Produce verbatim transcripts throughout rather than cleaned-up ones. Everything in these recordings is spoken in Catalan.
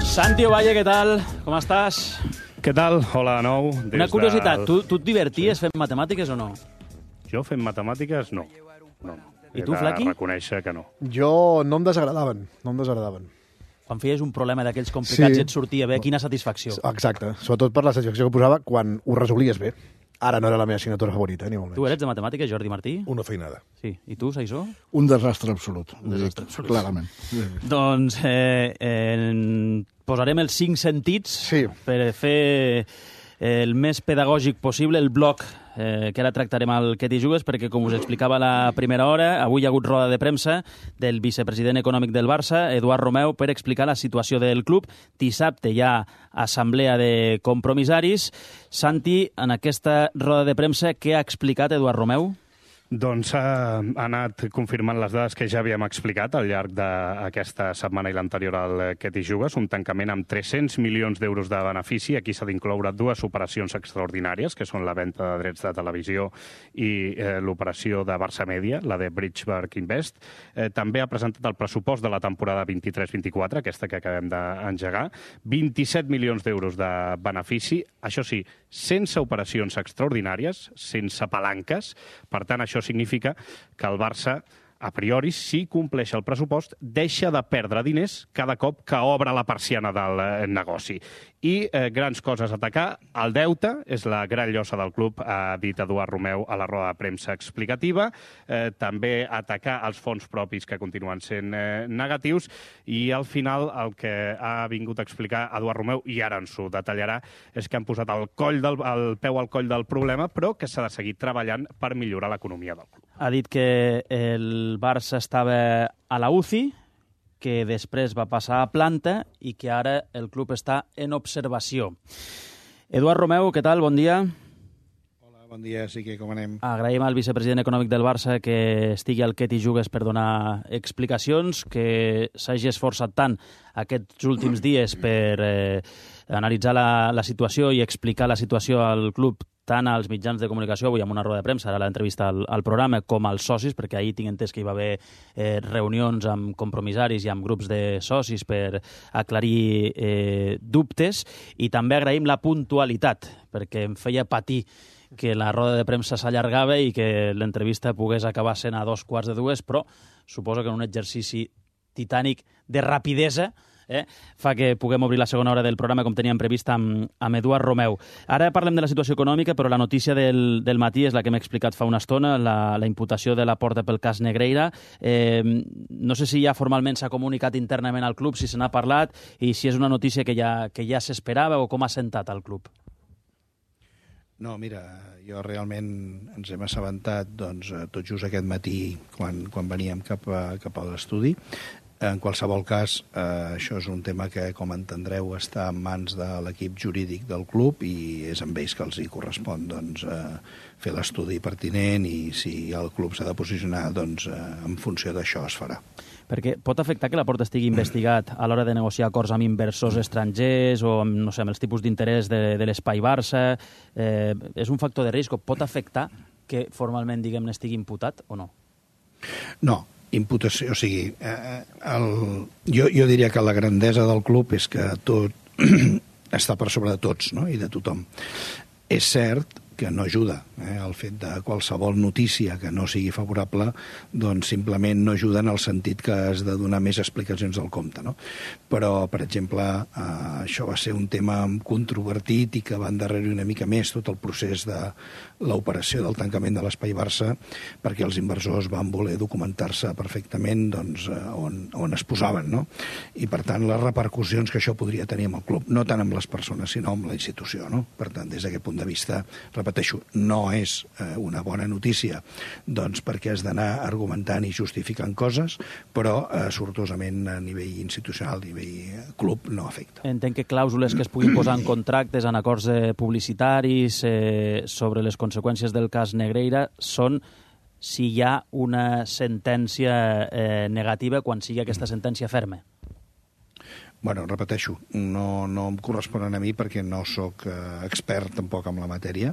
Santi Ovalle, què tal? Com estàs? Què tal? Hola de nou. Des Una curiositat, del... tu, tu et diverties sí. fent matemàtiques o no? Jo fent matemàtiques, no. no. I tu, He de Flaqui? reconèixer que no. Jo no em desagradaven, no em desagradaven. Quan feies un problema d'aquells complicats Sí. i et sortia bé, quina satisfacció. Exacte, sobretot per la satisfacció que posava quan ho resolies bé. Ara no era la meva assignatura favorita, ni molt menys. Tu eres de matemàtiques, Jordi Martí? Una feinada. Sí. I tu, Saissó? Un desastre absolut. Un desastre absolut. Clarament. Doncs eh, eh, posarem els cinc sentits Sí. per fer el més pedagògic possible el bloc eh, que ara tractarem al Que t'hi jugues, perquè, com us explicava a la primera hora, avui hi ha hagut roda de premsa del vicepresident econòmic del Barça, Eduard Romeu, per explicar la situació del club. Dissabte hi ha assemblea de compromissaris. Santi, en aquesta roda de premsa, què ha explicat Eduard Romeu? Doncs ha, ha anat confirmant les dades que ja havíem explicat al llarg d'aquesta setmana i l'anterior al Que t'hi jugues, un tancament amb tres-cents milions d'euros de benefici. Aquí s'ha d'incloure dues operacions extraordinàries, que són la venda de drets de televisió i eh, l'operació de Barça Media, la de Bridgeberg Invest. Eh, també ha presentat el pressupost de la temporada vint-i-tres vint-i-quatre, aquesta que acabem d'engegar, vint-i-set milions d'euros de benefici, això sí, sense operacions extraordinàries, sense palanques. Per tant, això significa que el Barça, a priori, si compleix el pressupost, deixa de perdre diners cada cop que obre la persiana del eh, negoci. I eh, grans coses a atacar. El deute és la gran llosa del club, ha dit Eduard Romeu a la roda de premsa explicativa. Eh, també atacar els fons propis, que continuen sent eh, negatius. I al final el que ha vingut a explicar Eduard Romeu, i ara ens ho detallarà, és que han posat el, coll del, el peu al coll del problema, però que s'ha de seguir treballant per millorar l'economia del club. Ha dit que el Barça estava a la U C I, que després va passar a planta i que ara el club està en observació. Eduard Romeu, què tal? Bon dia. Hola, bon dia, sí que com anem? Agraïm al vicepresident econòmic del Barça que estigui al Que t'hi jugues per donar explicacions, que s'hagi esforçat tant aquests últims dies per eh, analitzar la, la situació i explicar la situació al club tant als mitjans de comunicació, avui amb una roda de premsa, ara l'entrevista al, al programa, com als socis, perquè ahir tinc entès que hi va haver eh, reunions amb compromissaris i amb grups de socis per aclarir eh, dubtes, i també agraïm la puntualitat, perquè em feia patir que la roda de premsa s'allargava i que l'entrevista pogués acabar sent a dos quarts de dues, però suposo que en un exercici titànic de rapidesa Eh, fa que puguem obrir la segona hora del programa com teníem previst amb, amb Eduard Romeu. Ara parlem de la situació econòmica, però la notícia del, del matí és la que hem explicat fa una estona, la, la imputació de la Porta pel cas Negreira. Eh, no sé si ja formalment s'ha comunicat internament al club, si se n'ha parlat, i si és una notícia que ja, que ja s'esperava o com ha sentat al club. No, mira, jo realment ens hem assabentat doncs, tot just aquest matí quan, quan veníem cap a, cap a l'estudi. En qualsevol cas, eh, això és un tema que, com entendreu, està en mans de l'equip jurídic del club i és amb ells que els hi correspon doncs, eh, fer l'estudi pertinent, i si el club s'ha de posicionar, doncs, eh, en funció d'això es farà. Perquè pot afectar que la Porta estigui investigat a l'hora de negociar acords amb inversors estrangers o amb, no sé, amb els tipus d'interès de, de l'Espai Barça? Eh, és un factor de risc? Pot afectar que formalment, diguem-ne, estigui imputat o no? No, imputació, o sigui, eh, el, jo, jo diria que la grandesa del club és que tot està per sobre de tots, no?, i de tothom. És cert que no ajuda, eh? El fet de qualsevol notícia que no sigui favorable, doncs simplement no ajuda en el sentit que has de donar més explicacions del compte, no? Però, per exemple, eh, això va ser un tema controvertit i que va endarrerir una mica més tot el procés de l'operació del tancament de l'Espai Barça, perquè els inversors van voler documentar-se perfectament doncs, on, on es posaven, no? I, per tant, les repercussions que això podria tenir amb el club, no tant amb les persones, sinó amb la institució, no? Per tant, des d'aquest punt de vista, repeteixo, no és eh, una bona notícia, doncs perquè has d'anar argumentant i justificant coses, però eh, sortosament a nivell institucional, a nivell club, no afecta. Entenc que clàusules que es puguin posar en contractes, en acords eh, publicitaris, eh, sobre les conseqüències del cas Negreira, són si hi ha una sentència eh, negativa quan sigui aquesta sentència ferma. Bueno, repeteixo, no, no em corresponen a mi perquè no sóc eh, expert tampoc en la matèria,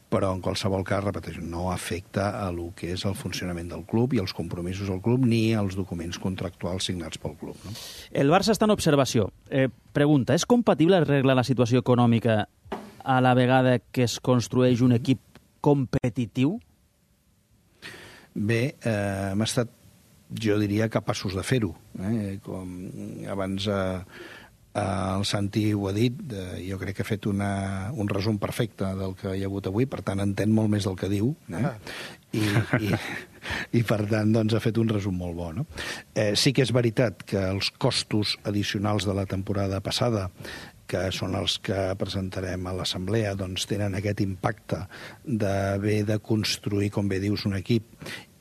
però en qualsevol cas, repeteixo, no afecta a lo que és el funcionament del club i els compromisos del club ni als documents contractuals signats pel club. No? El Barça està en observació. Eh, pregunta, és compatible arreglar la situació econòmica a la vegada que es construeix un equip competitiu? Bé, eh, hem estat, jo diria, capaços de fer-ho. Eh? Com abans eh, el Santi ho ha dit, eh, jo crec que ha fet una, un resum perfecte del que hi ha hagut avui, per tant entén molt més del que diu, eh? Ah. I, i, i per tant doncs, ha fet un resum molt bo. No? Eh, sí que és veritat que els costos addicionals de la temporada passada, que són els que presentarem a l'Assemblea, doncs tenen aquest impacte d'haver de construir, com bé dius, un equip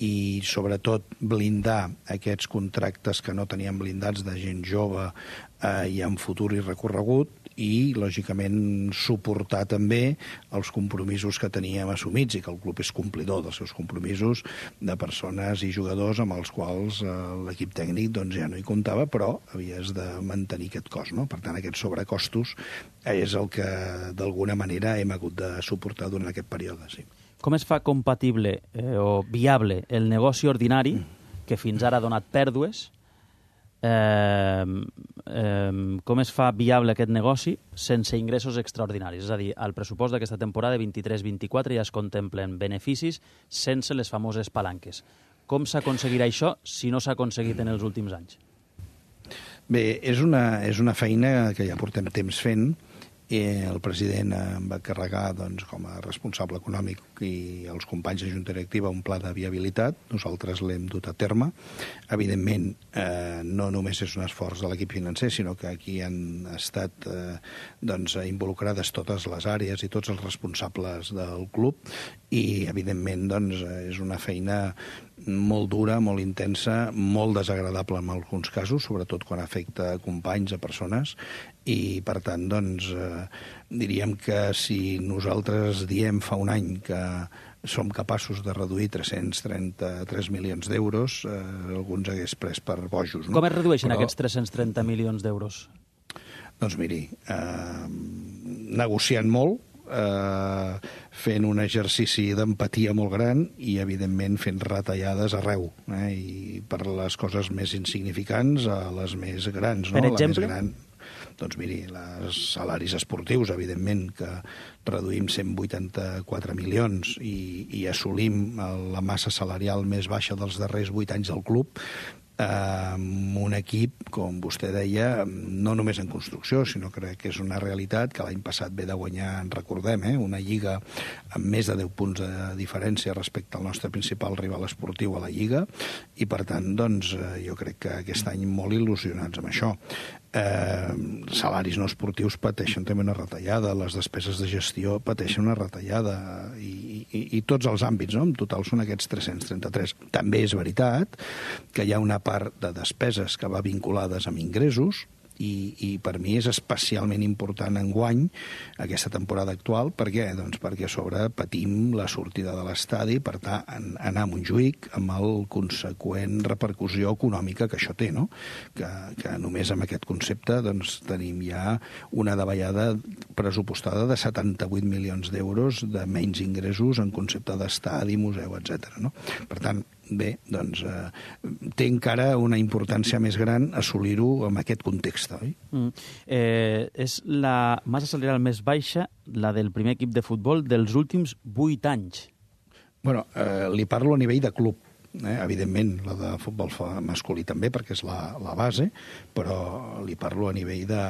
i, sobretot, blindar aquests contractes que no teníem blindats de gent jove eh, i amb futur i recorregut, i, lògicament, suportar també els compromisos que teníem assumits i que el club és complidor dels seus compromisos de persones i jugadors amb els quals eh, l'equip tècnic doncs, ja no hi comptava, però havies de mantenir aquest cost. No? Per tant, aquests sobrecostos és el que, d'alguna manera, hem hagut de suportar durant aquest període. Sí. Com es fa compatible eh, o viable el negoci ordinari, que fins ara ha donat pèrdues, Eh, eh, com es fa viable aquest negoci sense ingressos extraordinaris? És a dir, al pressupost d'aquesta temporada vint-i-tres vint-i-quatre ja es contemplen beneficis sense les famoses palanques. Com s'aconseguirà això si no s'ha aconseguit en els últims anys? Bé, és una, és una feina que ja portem temps fent. I el president em va carregar doncs, com a responsable econòmic i els companys de Junta Directiva un pla de viabilitat. Nosaltres l'hem dut a terme. Evidentment, eh, no només és un esforç de l'equip financer, sinó que aquí han estat eh, doncs, involucrades totes les àrees i tots els responsables del club i, evidentment, doncs, és una feina molt dura, molt intensa, molt desagradable en alguns casos, sobretot quan afecta a companys, a persones, i, per tant, doncs, eh, diríem que si nosaltres diem fa un any que som capaços de reduir tres-cents trenta-tres milions d'euros, eh, alguns hagués pres per bojos. No? Com es redueixen Però, aquests tres-cents trenta milions d'euros? Doncs miri, eh, negociant molt, eh, fent un exercici d'empatia molt gran i, evidentment, fent retallades arreu, eh, i per les coses més insignificants a les més grans. No? Per exemple? La més gran, doncs miri, els salaris esportius, evidentment, que reduïm cent vuitanta-quatre milions i, i assolim la massa salarial més baixa dels darrers vuit anys del club, amb un equip, com vostè deia, no només en construcció, sinó que és una realitat que l'any passat ve de guanyar, en recordem, eh, una lliga amb més de deu punts de diferència respecte al nostre principal rival esportiu a la lliga, i per tant, doncs, jo crec que aquest any molt il·lusionats amb això. Eh, salaris no esportius pateixen també una retallada, les despeses de gestió pateixen una retallada i, i, i tots els àmbits, no? En total són aquests tres-cents trenta-tres. També és veritat que hi ha una part de despeses que va vinculades amb ingressos i, i per mi és especialment important enguany aquesta temporada actual. Per què? Doncs perquè a sobre patim la sortida de l'estadi, per tant, anar a Montjuïc amb el conseqüent repercussió econòmica que això té, no? Que, que només amb aquest concepte doncs, tenim ja una davallada pressupostada de setanta-vuit milions d'euros de menys ingressos en concepte d'estadi, museu, etcètera. No? Per tant, bé, doncs eh, té encara una importància més gran assolir-ho en aquest context, oi? Mm. Eh, és la massa salarial més baixa, la del primer equip de futbol, dels últims vuit anys. Bueno, eh, li parlo a nivell de club. Eh? Evidentment, la de futbol masculí també, perquè és la, la base, però li parlo a nivell de,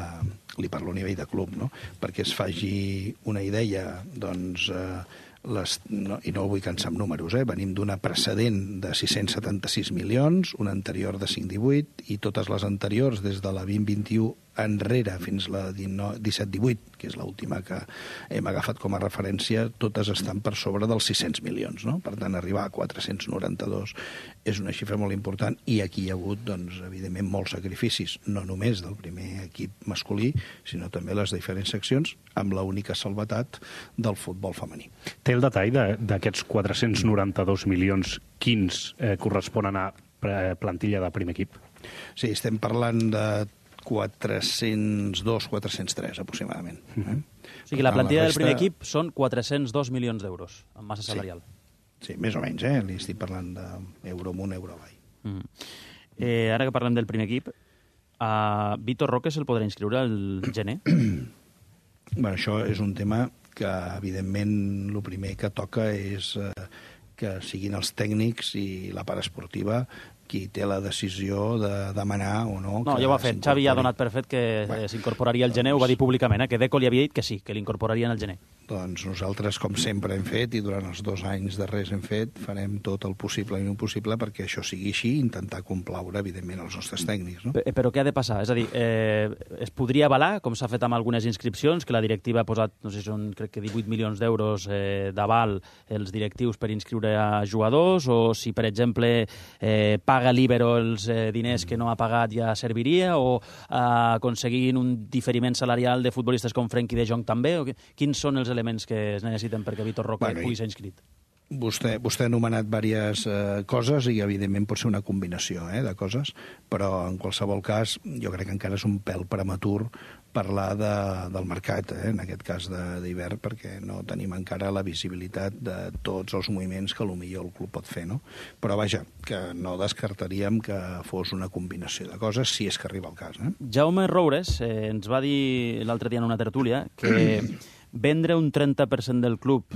li parlo a nivell de club, no? Perquè es faci una idea, doncs... Eh, Les, no, i no vull cansar amb números, eh? Venim d'una precedent de sis-cents setanta-sis milions, una anterior de cinc cents divuit i totes les anteriors des de la vint vint-i-u enrere fins la disset divuit, que és l'última que hem agafat com a referència, totes estan per sobre dels sis-cents milions, no? Per tant, arribar a quatre-cents noranta-dos és una xifra molt important i aquí hi ha hagut, doncs, evidentment, molts sacrificis, no només del primer equip masculí, sinó també les diferents seccions, amb l'única salvetat del futbol femení. Té el detall d'aquests quatre-cents noranta-dos milions, quins eh, corresponen a plantilla de primer equip? Sí, estem parlant de quatre-cents dos, quatre-cents tres, aproximadament. Eh? O sigui, la plantilla resta... del primer equip són quatre-cents dos milions d'euros, en massa salarial. Sí, sí, més o menys, eh? Li estic parlant d'euro amunt, euro avall. Mm. Eh, ara que parlem del primer equip, a Vitor Roque se'l podrà inscriure al gener? Bueno, això és un tema que, evidentment, el primer que toca és eh, que siguin els tècnics i la part esportiva qui té la decisió de demanar o no... No, ja ho ha fet. Xavi ja ha donat per fet que bueno, s'incorporaria al gener, doncs... ho va dir públicament, eh? Que Deco li havia dit que sí, que l'incorporarien al gener. Doncs nosaltres, com sempre hem fet, i durant els dos anys darrers hem fet, farem tot el possible i impossible perquè això sigui així, intentar complaure, evidentment, els nostres tècnics. No? Però què ha de passar? És a dir, eh, es podria avalar, com s'ha fet amb algunes inscripcions, que la directiva ha posat, no sé si són, crec que divuit milions d'euros eh, d'aval els directius per inscriure a jugadors, o si, per exemple, eh, paga l'Ibero els eh, diners que no ha pagat ja serviria, o eh, aconseguint un diferiment salarial de futbolistes com Frenkie de Jong també? O que, quins són els elements que es necessiten perquè Vitor Roque bueno, pugui ser inscrit? Vostè, vostè ha anomenat diverses eh, coses i, evidentment, pot ser una combinació eh, de coses, però, en qualsevol cas, jo crec que encara és un pèl prematur parlar de, del mercat, eh, en aquest cas d'hivern, perquè no tenim encara la visibilitat de tots els moviments que potser el club pot fer, no? Però, vaja, que no descartaríem que fos una combinació de coses, si és que arriba el cas. Eh? Jaume Roures eh, ens va dir l'altre dia en una tertúlia que vendre un trenta per cent del club,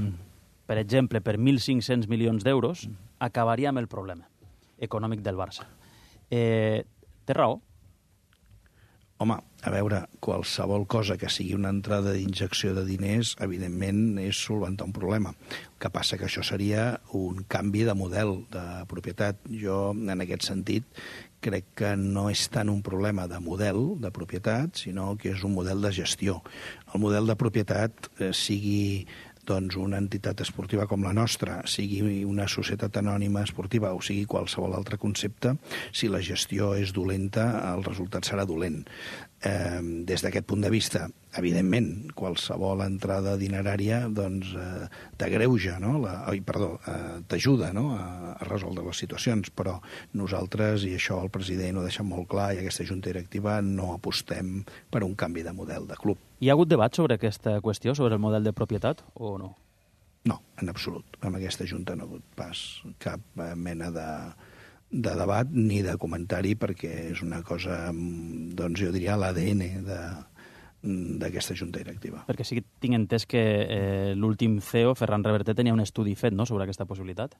per exemple, per mil cinc-cents milions d'euros, acabaria amb el problema econòmic del Barça. Eh, té raó? Home, a veure, qualsevol cosa que sigui una entrada d'injecció de diners, evidentment, és solventar un problema. El que passa que això seria un canvi de model de propietat. Jo, en aquest sentit, crec que no és tant un problema de model de propietat, sinó que és un model de gestió. El model de propietat, eh, sigui doncs una entitat esportiva com la nostra, sigui una societat anònima esportiva o sigui qualsevol altre concepte, si la gestió és dolenta, el resultat serà dolent. Eh, des d'aquest punt de vista, evidentment, qualsevol entrada dinerària doncs, eh, t'agreuja, no? La, oi, perdó, eh, t'ajuda no? a, a resoldre les situacions, però nosaltres, i això el president ho deixa molt clar, i aquesta junta directiva no apostem per un canvi de model de club. Hi ha hagut debat sobre aquesta qüestió, sobre el model de propietat, o no? No, en absolut. Amb aquesta junta no ha hagut pas cap mena de... de debat ni de comentari, perquè és una cosa, doncs jo diria, l'A D N d'aquesta junta directiva. Perquè sí que tinc entès que eh, l'últim C E O, Ferran Reverter, tenia un estudi fet no, sobre aquesta possibilitat.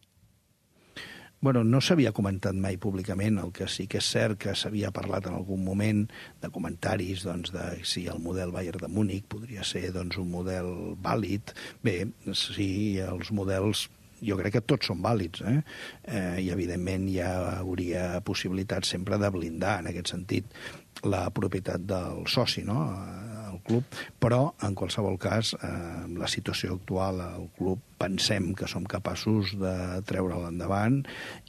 Bueno, no s'havia comentat mai públicament, el que sí que és cert que s'havia parlat en algun moment de comentaris doncs, de si el model Bayern de Múnich podria ser doncs, un model vàlid. Bé, sí, els models... Jo crec que tots són vàlids, eh? eh? I, evidentment, hi hauria possibilitat sempre de blindar, en aquest sentit, la propietat del soci, no?, al club, però, en qualsevol cas, eh, la situació actual al club pensem que som capaços de treure'l endavant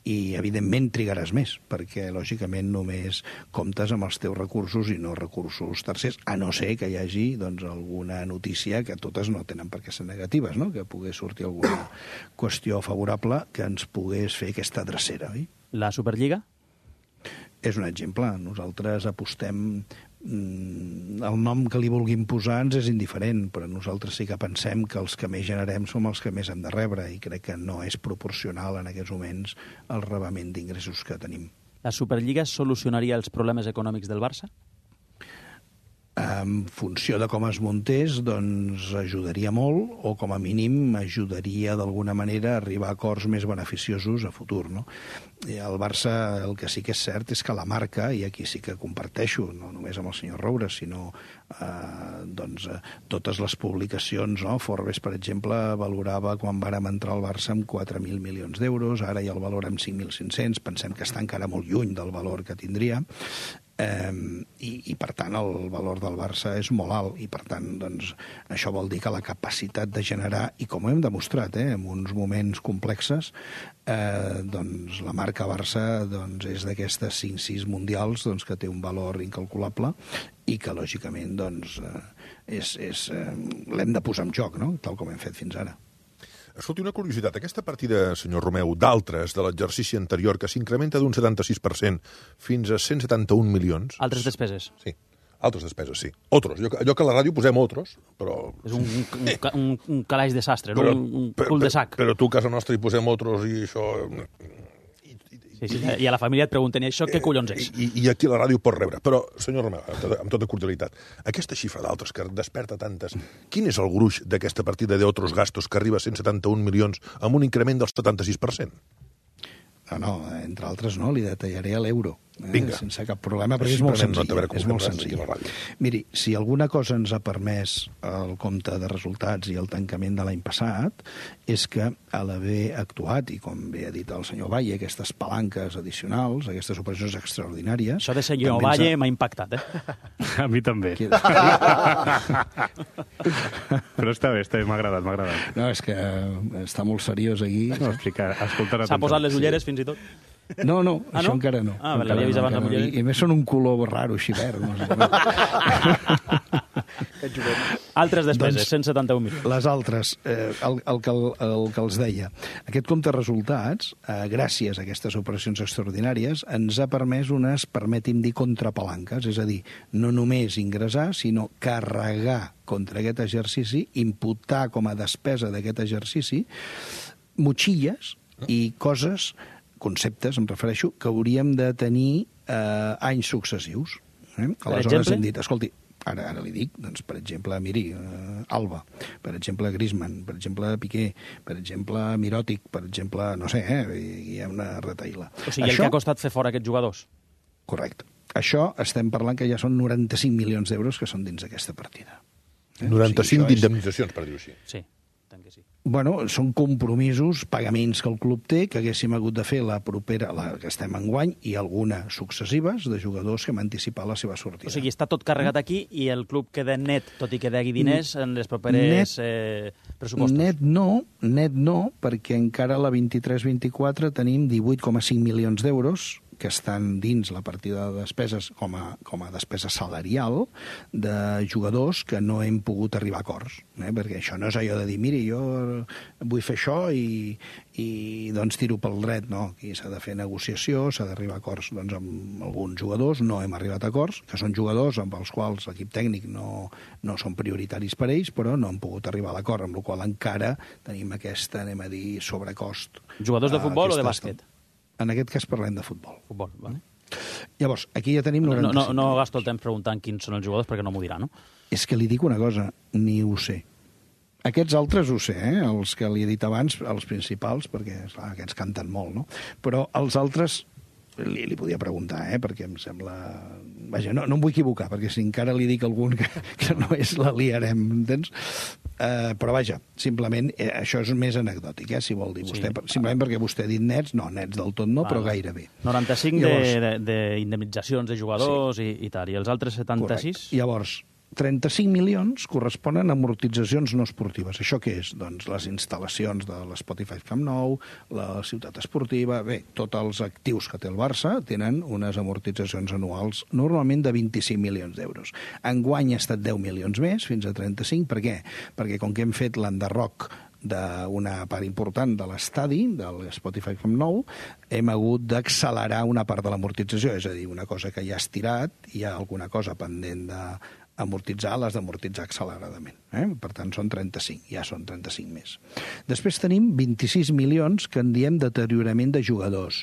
i, evidentment, trigaràs més, perquè, lògicament, només comptes amb els teus recursos i no recursos tercers, a no ser que hi hagi doncs, alguna notícia que totes no tenen per què ser negatives, no?, que pogués sortir alguna qüestió favorable que ens pogués fer aquesta drecera, oi? La Superliga? És un exemple. Nosaltres apostem... El nom que li vulguin posar ens és indiferent, però nosaltres sí que pensem que els que més generem som els que més hem de rebre i crec que no és proporcional en aquests moments el rebament d'ingressos que tenim. La Superliga solucionaria els problemes econòmics del Barça? En funció de com es muntés, doncs ajudaria molt, o com a mínim ajudaria d'alguna manera a arribar a acords més beneficiosos a futur, no? I el Barça, el que sí que és cert és que la marca, i aquí sí que comparteixo, no només amb el senyor Roures, sinó eh, doncs, eh, totes les publicacions, no? Forbes, per exemple, valorava quan vàrem entrar al Barça amb quatre mil milions d'euros, ara ja el valora amb cinc mil cinc-cents, pensem que està encara molt lluny del valor que tindria, Eh, i, i per tant el valor del Barça és molt alt i per tant doncs, això vol dir que la capacitat de generar, i com ho hem demostrat eh, en uns moments complexes, eh, doncs la marca Barça doncs, és d'aquestes cinc sis mundials doncs, que té un valor incalculable i que lògicament doncs, eh, és, és, eh, l'hem de posar en joc, no? Tal com hem fet fins ara. Escolti, una curiositat. Aquesta partida, senyor Romeu, d'altres de l'exercici anterior, que s'incrementa d'un setanta-sis per cent fins a cent setanta-un milions... Altres despeses. Sí. Altres despeses, sí. Otros. Jo, allò que a la ràdio posem otros, però... És un, un, un, un calaix de sastre, no? Però, un, un però, cul de sac. Però, però tu a casa nostra hi posem otros i això... Sí, sí, I a la família et pregunten, i això què collons és? I, I aquí a la ràdio pot rebre. Però, senyor Romeu, amb tota, amb tota cordialitat, aquesta xifra d'altres que desperta tantes, quin és el gruix d'aquesta partida d'otros gastos que arriba a cent setanta-un milions amb un increment del setanta-sis per cent? No, no, entre altres no, li detallaré a l'euro. Eh? Vinga. Sense cap problema, perquè és molt senzill. No és molt senzill. Miri, si alguna cosa ens ha permès el compte de resultats i el tancament de l'any passat, és que a l'haver actuat, i com bé ha dit el senyor Valle, aquestes palanques addicionals, aquestes operacions extraordinàries... Això de senyor Valle m'ha impactat, eh? A mi també. Però està bé, està bé, m'ha agradat, m'ha agradat. No, és que està molt seriós aquí. No, explica, escolta... S'ha posat les ulleres, fins i tot? No, no, ah, això no? encara no. Ah, vale, l'havia vist abans amb ulleres. I, I a més són un color raro, així verd. No sé. Altres despeses, Doncs, cent setanta-un milions. Les altres, eh, el, el, que, el, el que els deia. Aquest compte de resultats, eh, gràcies a aquestes operacions extraordinàries, ens ha permès unes, permeti'm dir, contrapalanques, és a dir, no només ingressar, sinó carregar contra aquest exercici, imputar com a despesa d'aquest exercici, motxilles i coses, conceptes, em refereixo, que hauríem de tenir eh, anys successius. Eh? Aleshores hem dit, escolti, ara, ara li dic, doncs, per exemple, miri, eh, Alba, per exemple, Griezmann, per exemple, Piqué, per exemple, Miròtic, per exemple, no sé, eh, hi ha una retaïla. O sigui, Això... el que ha costat fer fora aquests jugadors. Correcte. Això estem parlant que ja són noranta-cinc milions d'euros que són dins d'aquesta partida. Eh? noranta-cinc o sigui, d'indemnitzacions, és... per dir-ho així. Sí. Que sí. Bueno, són compromisos, pagaments que el club té, que haguéssim hagut de fer la propera, la que estem enguany, i alguna successives de jugadors que hem anticipat la seva sortida. O sigui, està tot carregat aquí i el club queda net, tot i que degui diners en les properes net, eh, pressupostos. Net no, net no, perquè encara la vint-i-tres vint-i-quatre tenim divuit coma cinc milions d'euros que estan dins la partida de despeses com a, com a despesa salarial de jugadors que no hem pogut arribar a acords. Eh? Perquè això no és allò de dir, miri, jo vull fer això i, i doncs tiro pel dret. No, aquí s'ha de fer negociació, s'ha d'arribar a acords doncs, amb alguns jugadors, no hem arribat a acords, que són jugadors amb els quals l'equip tècnic no, no són prioritaris per ells, però no han pogut arribar a l'acord, amb la qual encara tenim aquesta, anem a dir, sobrecost. Jugadors de futbol o de bàsquet? En aquest cas parlem de futbol. Futbol, vale. Llavors, aquí ja tenim noranta-cinc. No, no, no gasto el temps preguntant quins són els jugadors perquè no m'ho dirà, no? És que li dic una cosa, ni ho sé. Aquests altres ho sé, eh? Els que li he dit abans, els principals, perquè esclar, aquests canten molt, no? Però els altres li, li podia preguntar, eh? Perquè em sembla... Vaja, no, no em vull equivocar, perquè si encara li dic a algun que, que no és, la liarem, entens? Uh, però vaja, simplement, eh, això és més anecdòtic, eh, si vol dir vostè. Sí. Simplement perquè vostè ha dit nets, no, nets del tot no, vale. Però gairebé. noranta-cinc d'indemnitzacions de, de, de jugadors sí. i, i tal, i els altres setanta-sis? Correcte. Llavors, trenta-cinc milions corresponen a amortitzacions no esportives. Això què és? Doncs les instal·lacions de l'Spotify Camp Nou, la ciutat esportiva... Bé, tots els actius que té el Barça tenen unes amortitzacions anuals normalment de vint-i-cinc milions d'euros. Enguany ha estat deu milions més, fins a trenta-cinc. Per què? Perquè com que hem fet l'enderroc d'una part important de l'estadi, de l'Spotify Camp Nou, hem hagut d'accelerar una part de l'amortització, és a dir, una cosa que ja ha estirat, hi ha alguna cosa pendent de amortitzar, les d'amortitzar acceleradament. Eh? Per tant, són trenta-cinc, ja són trenta-cinc més. Després tenim vint-i-sis milions que en diem deteriorament de jugadors.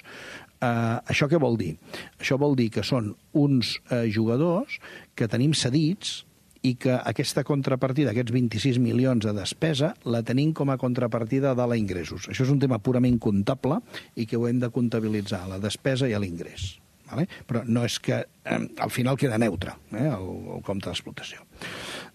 Uh, això què vol dir? Això vol dir que són uns uh, jugadors que tenim cedits i que aquesta contrapartida, aquests vint-i-sis milions de despesa, la tenim com a contrapartida de l'ingressos. Això és un tema purament comptable i que ho hem de comptabilitzar, la despesa i l'ingrés. Vale? Però no és que eh, al final queda neutre eh, el, el compte d'explotació.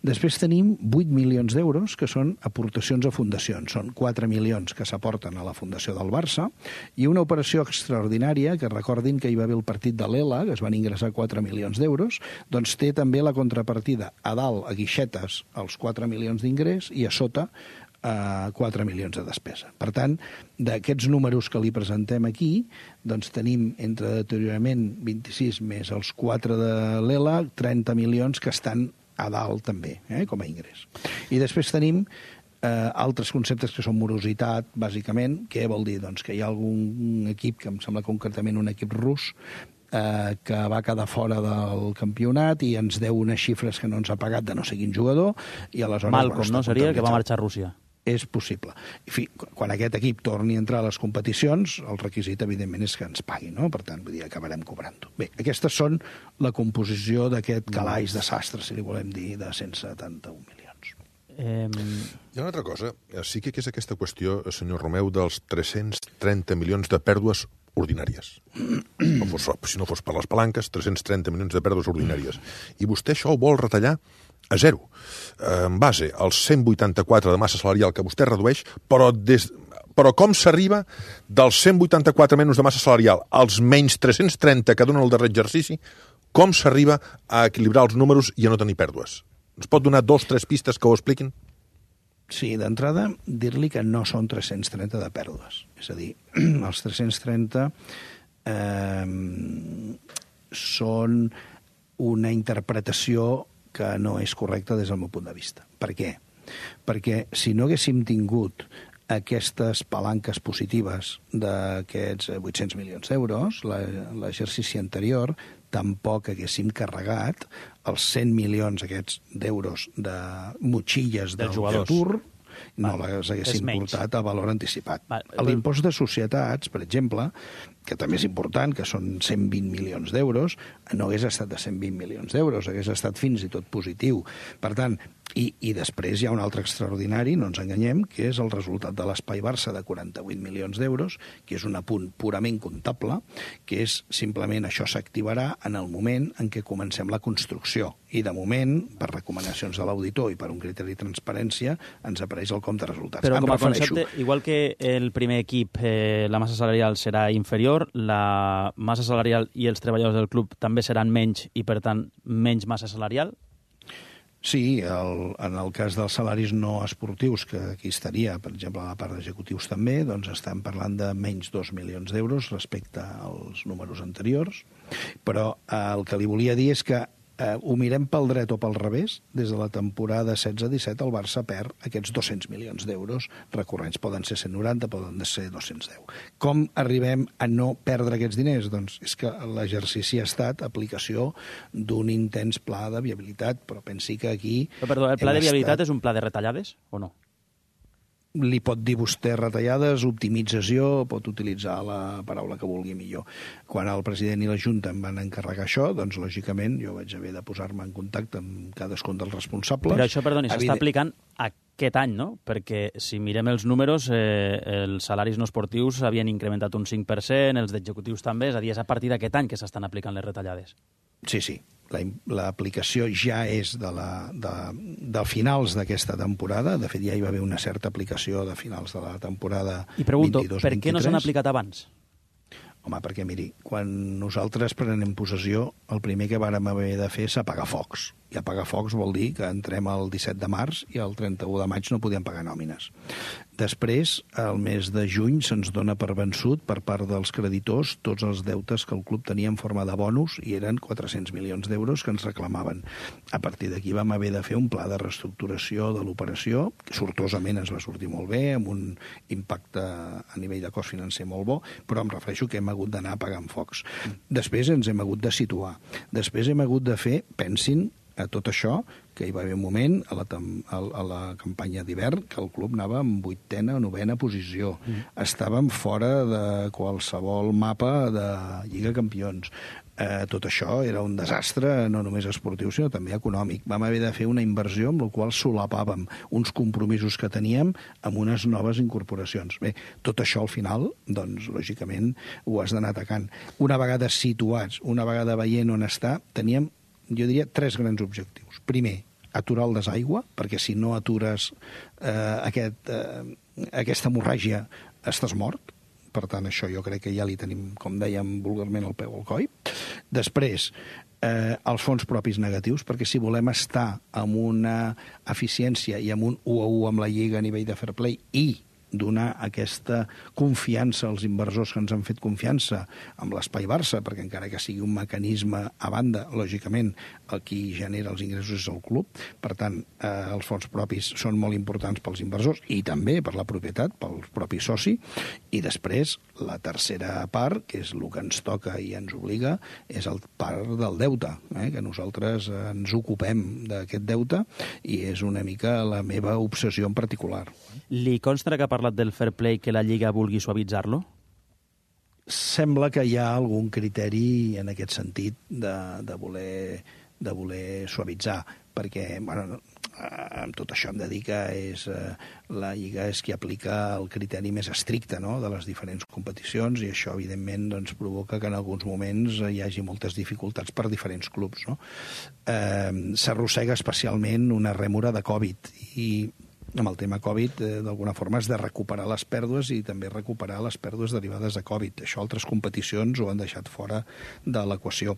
Després tenim vuit milions d'euros que són aportacions a fundacions. Són quatre milions que s'aporten a la Fundació del Barça i una operació extraordinària, que recordin que hi va haver el partit de l'Ela, que es van ingressar quatre milions d'euros, doncs té també la contrapartida a dalt, a guixetes, els quatre milions d'ingrés i a sota a quatre milions de despesa. Per tant, d'aquests números que li presentem aquí, doncs tenim entre deteriorament vint-i-sis més els quatre de l'Ela, trenta milions que estan a dalt també, eh, com a ingrés. I després tenim eh, altres conceptes que són morositat, bàsicament. Què vol dir? Doncs que hi ha algun equip, que em sembla concretament un equip rus, eh, que va quedar fora del campionat i ens deu unes xifres que no ens ha pagat de no sé quin jugador, i aleshores... Malcolm, bueno, no? Seria que va marxar a Rússia. És possible. En fi, quan aquest equip torni a entrar a les competicions, el requisit, evidentment, és que ens pagui, no? Per tant, vull dir, acabarem cobrant-ho. Bé, aquestes són la composició d'aquest calaix de sastre, si li volem dir, de cent setanta-un milions. Eh... Hi ha una altra cosa. Sí que és aquesta qüestió, senyor Romeu, dels tres-cents trenta milions de pèrdues ordinàries. No fos, si no fos per les palanques, tres-cents trenta milions de pèrdues ordinàries. I vostè això ho vol retallar a zero, en base als cent vuitanta-quatre de massa salarial que vostè redueix, però, des, però com s'arriba dels cent vuitanta-quatre menys de massa salarial als menys tres-cents trenta que dona el darrer exercici, com s'arriba a equilibrar els números i a no tenir pèrdues? Ens pot donar dos o tres pistes que ho expliquin? Sí, d'entrada, dir-li que no són tres-cents trenta de pèrdues. És a dir, els tres-cents trenta eh, són una interpretació que no és correcta des del meu punt de vista. Per què? Perquè si no haguéssim tingut aquestes palanques positives d'aquests vuit-cents milions d'euros, l'exercici anterior, tampoc haguéssim carregat els cent milions aquests d'euros de motxilles del futur, no les haguéssim portat a valor anticipat. L'impost de societats, per exemple, que també és important, que són cent vint milions d'euros, no hagués estat de cent vint milions d'euros, hagués estat fins i tot positiu. Per tant, i, i després hi ha un altre extraordinari, no ens enganyem, que és el resultat de l'Espai Barça de quaranta-vuit milions d'euros, que és un apunt purament comptable, que és simplement això s'activarà en el moment en què comencem la construcció. I de moment, per recomanacions de l'auditor i per un criteri de transparència, ens apareix el compte de resultats. Però com a concepte, igual que el primer equip, eh, la massa salarial serà inferior, la massa salarial i els treballadors del club també seran menys i, per tant, menys massa salarial? Sí, el, en el cas dels salaris no esportius, que aquí estaria, per exemple, a la part d'executius també, doncs estem parlant de menys dos milions d'euros respecte als números anteriors, però eh, el que li volia dir és que eh, ho mirem pel dret o pel revés, des de la temporada setze disset el Barça perd aquests dos-cents milions d'euros recurrents. Poden ser cent noranta, poden ser dos-cents deu. Com arribem a no perdre aquests diners? Doncs és que l'exercici ha estat aplicació d'un intens pla de viabilitat, però pensi que aquí... Però, perdó, el pla de viabilitat estat... és un pla de retallades o no? Li pot dir vostè retallades, optimització, pot utilitzar la paraula que vulgui millor. Quan el president i la Junta em van encarregar això, doncs, lògicament, jo vaig haver de posar-me en contacte amb cadascun dels responsables. Però això, perdoni, s'està Evident... aplicant aquest any, no? Perquè si mirem els números, eh, els salaris no esportius havien incrementat un cinc per cent, els d'executius també, és a dir, és a partir d'aquest any que s'estan aplicant les retallades. Sí, sí. L'aplicació ja és de, la, de, de finals d'aquesta temporada. De fet, ja hi va haver una certa aplicació de finals de la temporada vint-i-dos vint-i-tres. I pregunto, per què no s'han aplicat abans? Home, perquè, miri, quan nosaltres prenem possessió, el primer que vàrem haver de fer és apagar focs. I apagar focs vol dir que entrem el disset de març i el trenta-u de maig no podíem pagar nòmines. Després, el mes de juny, se'ns dona per vençut per part dels creditors tots els deutes que el club tenia en forma de bonus i eren quatre-cents milions d'euros que ens reclamaven. A partir d'aquí vam haver de fer un pla de reestructuració de l'operació, que sortosament ens va sortir molt bé, amb un impacte a nivell de cost financer molt bo, però em refereixo que hem hagut d'anar apagant focs. Després ens hem hagut de situar. Després hem hagut de fer, pensin, a tot això, que hi va haver un moment a la, a la campanya d'hivern que el club anava en vuitena o novena posició. Mm. Estàvem fora de qualsevol mapa de Lliga Campions. Eh, tot això era un desastre, no només esportiu, sinó també econòmic. Vam haver de fer una inversió amb la qual solapàvem uns compromisos que teníem amb unes noves incorporacions. Bé, tot això al final, doncs, lògicament, ho has d'anar atacant. Una vegada situats, una vegada veient on està, teníem, jo diria, tres grans objectius. Primer, aturar el desaigua, perquè si no atures eh, aquest, eh, aquesta hemorràgia estàs mort. Per tant, això jo crec que ja li tenim, com dèiem vulgarment, el peu al coll. Després, eh, els fons propis negatius, perquè si volem estar amb una eficiència i amb un u a u amb la Lliga a nivell de fair play i donar aquesta confiança als inversors que ens han fet confiança amb l'Espai Barça, perquè encara que sigui un mecanisme a banda, lògicament, el qui genera els ingressos és el club. Per tant, eh, els fons propis són molt importants pels inversors i també per la propietat, pel propi soci. I després, la tercera part, que és el que ens toca i ens obliga, és el part del deute, eh, que nosaltres ens ocupem d'aquest deute i és una mica la meva obsessió en particular. Li consta que ha parlat del fair play que la Lliga vulgui suavitzar-lo? Sembla que hi ha algun criteri en aquest sentit de, de, voler, de voler suavitzar, perquè, bueno, amb tot això hem de dir que és, eh, la Lliga és qui aplica el criteri més estricte, no?, de les diferents competicions, i això, evidentment, doncs, provoca que en alguns moments hi hagi moltes dificultats per diferents clubs, no? Eh, s'arrossega especialment una rèmora de Covid, i amb el tema Covid, eh, d'alguna forma, has de recuperar les pèrdues i també recuperar les pèrdues derivades de Covid. Això altres competicions ho han deixat fora de l'equació.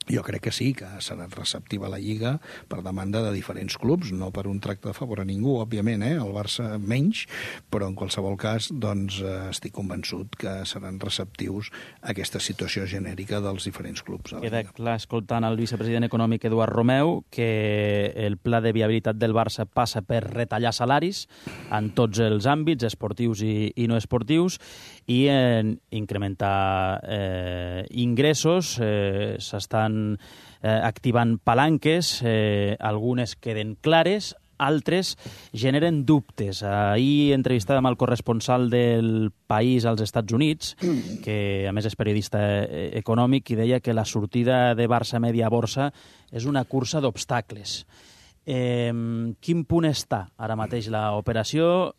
Jo crec que sí, que serà receptiva la Lliga per demanda de diferents clubs, no per un tracte de favor a ningú, òbviament, eh? El Barça menys, però en qualsevol cas doncs, eh, estic convençut que seran receptius a aquesta situació genèrica dels diferents clubs. Queda clar, escoltant el vicepresident econòmic Eduard Romeu, que el pla de viabilitat del Barça passa per retallar salaris en tots els àmbits, esportius i, i no esportius, i en incrementar eh, ingressos. Eh, s'estan eh, activant palanques, eh, algunes queden clares, altres generen dubtes. Ahir entrevistàvem el corresponsal del País als Estats Units, que a més és periodista econòmic, i deia que la sortida de Barça Media Borsa és una cursa d'obstacles. Eh, quin punt està ara mateix l'operació?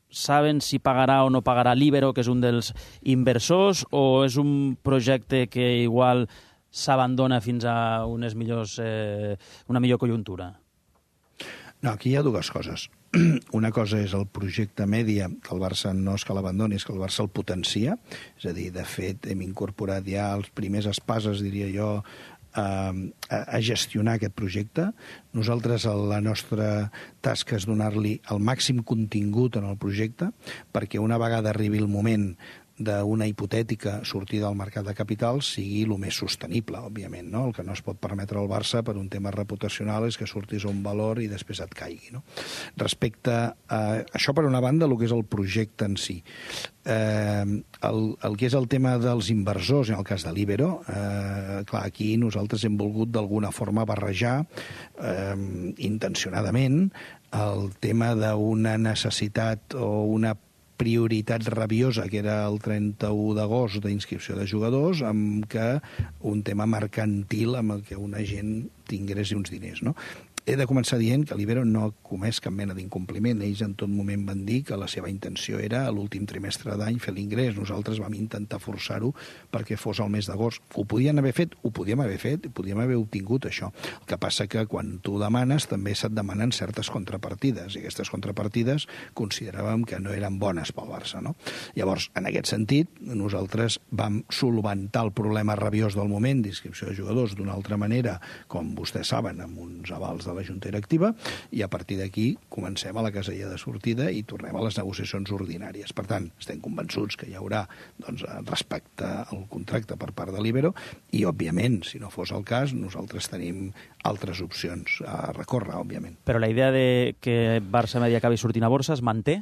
Saben si pagarà o no pagarà l'Ibero, que és un dels inversors, o és un projecte que igual s'abandona fins a unes millors, eh, una millor conjuntura? No, aquí hi ha dues coses. Una cosa és el projecte Mèdia, que el Barça no és que l'abandoni, és que el Barça el potencia. És a dir, de fet, hem incorporat ja els primers espases, diria jo, a, a gestionar aquest projecte. Nosaltres, la nostra tasca és donar-li el màxim contingut en el projecte, perquè una vegada arribi el moment d'una hipotètica sortida al mercat de capitals sigui el més sostenible, òbviament, no? El que no es pot permetre al Barça per un tema reputacional és que surtis a un valor i després et caigui, no? Respecte a això, per una banda, el que és el projecte en si. Eh, el, el que és el tema dels inversors, en el cas de l'Ibero, eh, clar, aquí nosaltres hem volgut d'alguna forma barrejar eh, intencionadament el tema d'una necessitat o una prioritat rabiosa, que era el trenta-u d'agost d'inscripció de jugadors, amb que un tema mercantil amb el que una gent tingués uns diners, no? He de començar dient que l'Ibero no ha comès cap mena d'incompliment. Ells en tot moment van dir que la seva intenció era a l'últim trimestre d'any fer l'ingrés. Nosaltres vam intentar forçar-ho perquè fos el mes d'agost. Ho podien haver fet, ho podíem haver fet, ho podíem haver obtingut, això. El que passa que quan tu demanes també se't demanen certes contrapartides, i aquestes contrapartides consideràvem que no eren bones pel Barça, no? Llavors, en aquest sentit, nosaltres vam solventar el problema rabiós del moment d'inscripció de jugadors d'una altra manera, com vostès saben, amb uns avals de la Junta Directiva, i a partir d'aquí comencem a la casella de sortida i tornem a les negociacions ordinàries. Per tant, estem convençuts que hi haurà, doncs, respecte al contracte per part de l'Ibero i, òbviament, si no fos el cas, nosaltres tenim altres opcions a recórrer, òbviament. Però la idea de que Barça Media acabi sortint a borsa es manté?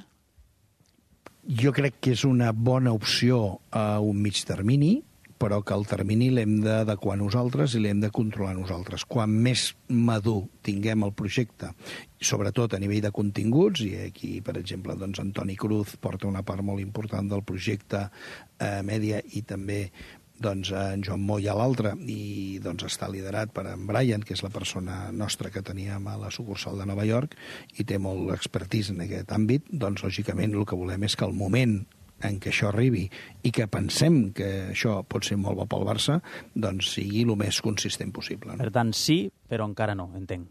Jo crec que és una bona opció a un mig termini, però que el termini l'hem d'adequar nosaltres i l'hem de controlar nosaltres. Quan més madur tinguem el projecte, sobretot a nivell de continguts, i aquí, per exemple, doncs, Antoni Cruz porta una part molt important del projecte eh, Mèdia, i també doncs, en Joan Moll a l'altre, i doncs, està liderat per en Brian, que és la persona nostra que teníem a la sucursal de Nova York, i té molt expertís en aquest àmbit. Doncs, lògicament, el que volem és que el moment en què això arribi i que pensem que això pot ser molt bo pel Barça, doncs sigui el més consistent possible, no? Per tant, sí, però encara no, entenc.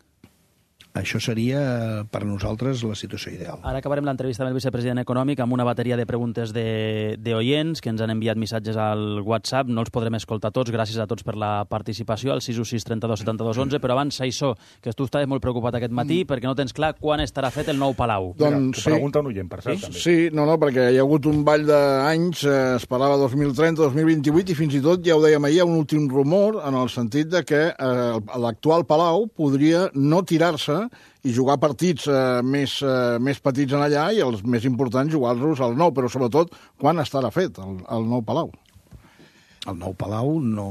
Això seria, per a nosaltres, la situació ideal. Ara acabarem l'entrevista amb el vicepresident econòmic amb una bateria de preguntes de, de oients que ens han enviat missatges al WhatsApp. No els podrem escoltar tots, gràcies a tots per la participació, al sis u sis trenta dos setanta dos onze, però abans, Saissó, que tu estaves molt preocupat aquest matí mm. perquè no tens clar quan estarà fet el nou Palau. Doncs sí. Pregunta un oient, per cert, sí? també. Sí, no, no, perquè hi ha hagut un ball d'anys, eh, es parlava dos mil trenta, dos mil vint-i-vuit, i fins i tot, ja ho dèiem ahir, hi ha un últim rumor en el sentit de que eh, l'actual Palau podria no tirar-se i jugar partits eh, més, eh, més petits en allà i els més importants jugar-los al nou, però sobretot quan estarà fet el, el nou Palau. El nou Palau no,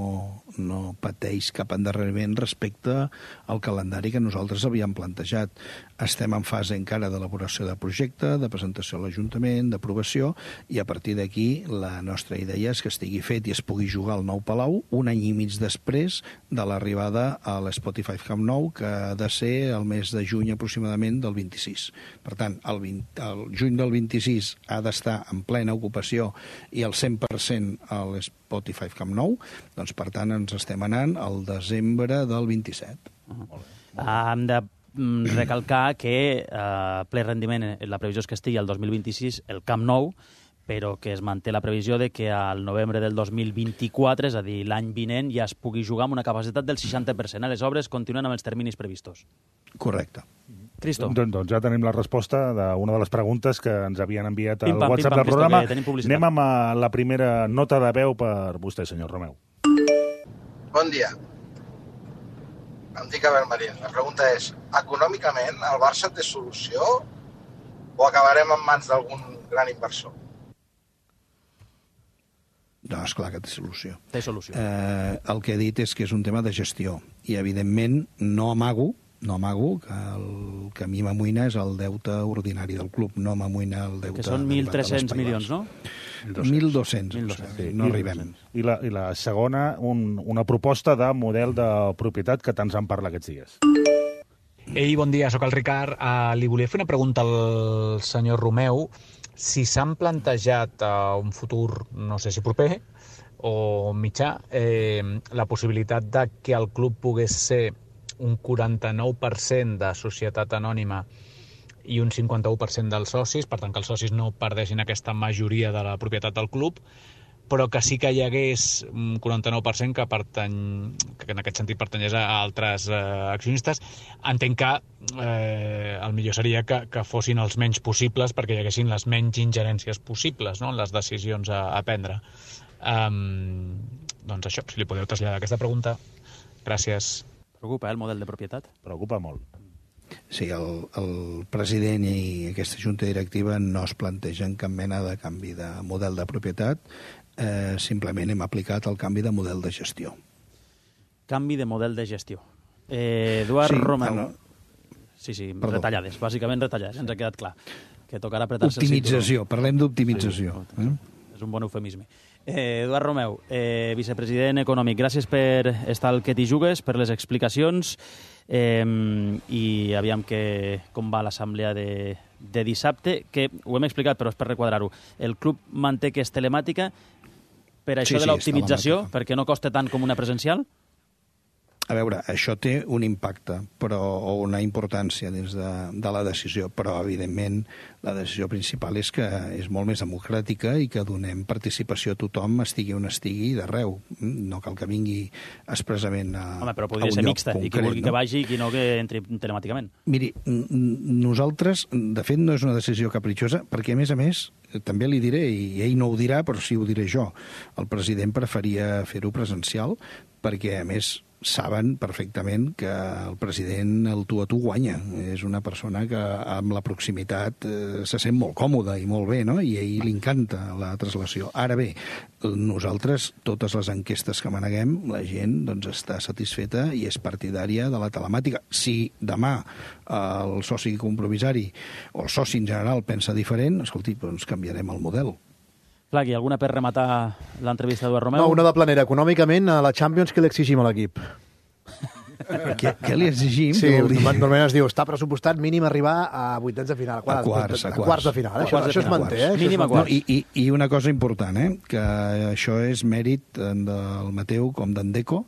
no pateix cap endarreriment respecte al calendari que nosaltres havíem plantejat. Estem en fase encara d'elaboració de projecte, de presentació a l'Ajuntament, d'aprovació, i a partir d'aquí la nostra idea és que estigui fet i es pugui jugar al nou Palau un any i mig després de l'arribada a l'Spotify Camp Nou, que ha de ser el mes de juny aproximadament del vint-i-sis. Per tant, el, vint, el juny del vint-i-sis ha d'estar en plena ocupació i el cent per cent a l'Spotify Camp Nou, doncs per tant ens estem anant al desembre del vint-i-set. Uh-huh. Hem de recalcar que eh, ple rendiment, la previsió és que estigui al dos mil vint-i-sis el Camp Nou, però que es manté la previsió de que al novembre del dos mil vint-i-quatre, és a dir, l'any vinent, ja es pugui jugar amb una capacitat del seixanta per cent. Les obres continuen amb els terminis previstos. Correcte. Cristo. Doncs, doncs ja tenim la resposta d'una de les preguntes que ens havien enviat al pim, pam, WhatsApp pim, pam, del programa. Cristo, anem amb la primera nota de veu per vostè, senyor Romeu. Bon dia. Em dic Abel Marín. La pregunta és, econòmicament el Barça té solució o acabarem en mans d'algun gran inversor? No, esclar que té solució. Té solució. Eh, el que he dit és que és un tema de gestió i, evidentment, no amago no amago que el que a mi m'amoïna és el deute ordinari del club, no m'amoïna el deute... Que són mil tres-cents milions, no? mil dos-cents, sí, no arribem. I la, i la segona, un, una proposta de model de propietat que tant se'n parla aquests dies. Ei, bon dia, sóc el Ricard. Uh, li volia fer una pregunta al senyor Romeu. Si s'han plantejat a uh, un futur, no sé si proper o mitjà, eh, la possibilitat de que el club pogués ser un quaranta-nou per cent de societat anònima i un cinquanta-u per cent dels socis, per tant que els socis no perdessin aquesta majoria de la propietat del club, però que sí que hi hagués un quaranta-nou per cent que, pertany, que en aquest sentit pertanyés a altres eh, accionistes. Entenc que eh, el millor seria que, que fossin els menys possibles perquè hi haguessin les menys ingerències possibles, no?, en les decisions a, a prendre. Um, doncs això, si li podeu traslladar aquesta pregunta. Gràcies. Preocupa, eh, el model de propietat? Preocupa molt. Sí, el, el president i aquesta junta directiva no es plantegen cap mena de canvi de model de propietat, eh, simplement hem aplicat el canvi de model de gestió. Canvi de model de gestió. Eh, Eduard sí, Romeu. Ah, no. Sí, sí, Perdó. retallades, bàsicament retallades, ens ha quedat clar. Que tocarà apretar-se el Optimització, parlem d'optimització. Sí, eh? És un bon eufemisme. Eh, Eduard Romeu, eh, vicepresident econòmic, gràcies per estar al Que t'hi jugues, per les explicacions, eh, i aviam que, com va l'assemblea de, de dissabte, que ho hem explicat, però és per requadrar-ho. El club manté que és telemàtica per això Sí, de sí, l'optimització, és telemàtica. perquè no costa tant com una presencial? A veure, això té un impacte però, o una importància dins de, de la decisió, però, evidentment, la decisió principal és que és molt més democràtica i que donem participació a tothom, estigui on estigui, d'arreu. No cal que vingui expressament a, Home, però a podria un ser lloc mixta, concret, i qui vulgui no? que vagi i qui no que entri telemàticament. Miri, nosaltres, de fet, no és una decisió capritxosa, perquè, a més a més, també li diré, i ell no ho dirà, però sí ho diré jo, el president preferia fer-ho presencial, perquè, a més, saben perfectament que el president el tu a tu guanya. És una persona que amb la proximitat eh, se sent molt còmoda i molt bé, no? I a ell li encanta la translació. Ara bé, nosaltres, totes les enquestes que maneguem, la gent doncs, està satisfeta i és partidària de la telemàtica. Si demà eh, el soci compromissari o el soci en general pensa diferent, escolti, doncs canviarem el model. Flaqui, alguna per rematar l'entrevista d'Eduard Romeu? No, una de planera. Econòmicament, a la Champions, què li exigim a l'equip? Què, què li exigim? Sí, Dir... normalment es diu, està pressupostat mínim arribar a vuitens de final. A quarts, a quarts. A quarts de final. Eh? Quarts de això, això es final. manté, eh? Mínim a Això es quarts. No, i, i, I una cosa important, eh? Que això és mèrit del Mateu com d'en Deco,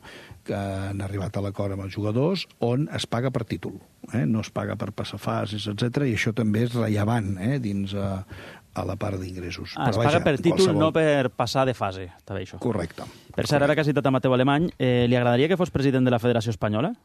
que han arribat a l'acord amb els jugadors on es paga per títol, eh? No es paga per passar fases, etcètera, i això també és rellevant eh? dins a, a la part d'ingressos. Ah, es paga per títol, qualsevol... no per passar de fase, està bé això. Correcte. Per cert, ara que has citat a Mateu Alemany, eh, li agradaria que fos president de la Federació Espanyola?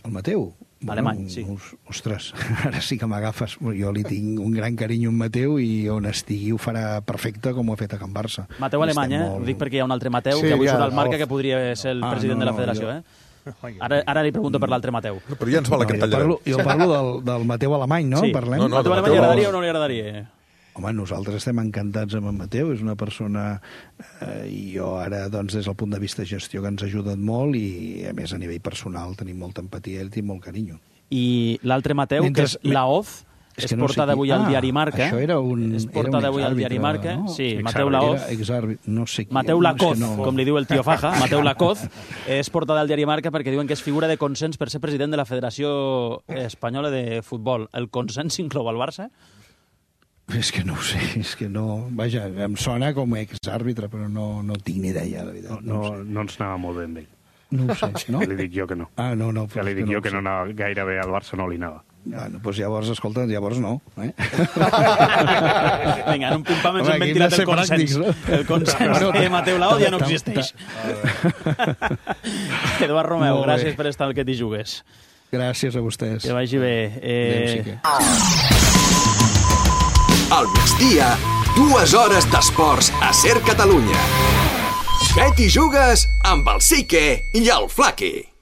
El Mateu? Alemany, bueno, sí. Ostres, ara sí que m'agafes. Jo li tinc un gran carinyo a Mateu i on estigui ho farà perfecte com ho ha fet a Can Barça. Mateu Alemany, eh? Molt... Ho dic perquè hi ha un altre Mateu sí, que avui ja, surt al Marca que podria ser el ah, president no, de la Federació, jo... eh? Ara, ara li pregunto per l'altre Mateu. Però ja ens va la que no, jo parlo, jo parlo del, del Mateu Alemany, no? Sí. Parlem? No, no, Mateu Alemany li agradaria o no li agradaria? Home, nosaltres estem encantats amb en Mateu, és una persona, eh, i jo ara, doncs, des del punt de vista de gestió que ens ha ajudat molt i, a més, a nivell personal tenim molta empatia i tinc molt carinyo. I l'altre Mateu, Mentre... que és Laoz, és, és no portada avui al diari Marca. Això era un, és portada avui al diari Marca. No? Sí, Mateu Laoz. No sé qui, Mateu Lacoz, no... com li diu el tio Faja. Mateu Lacoz és portada al diari Marca perquè diuen que és figura de consens per ser president de la Federació Espanyola de Futbol. El consens inclou el Barça? És que no ho sé, és que no... Vaja, em sona com a exàrbitre, però no, no tinc ni idea, la veritat. No, no, no ens anava molt bé amb ell. No ho sé, no? Ja li dic jo que no. Ah, no, no. Ja li dic que jo que no anava gaire bé al Barça, no li anava. Bueno, doncs llavors, escolta, llavors no. Eh? Vinga, en un pim-pam ens hem ventilat el consens. Pràctics, no? El consens de Mateu Laoz ja no existeix. Eduard Romeu, gràcies per estar al Que t'hi jugues. Gràcies a vostès. Que vagi bé. Eh... Al migdia, dues hores d'esports a Ser Catalunya. Que t'hi jugues amb el Sique i el Flaqui.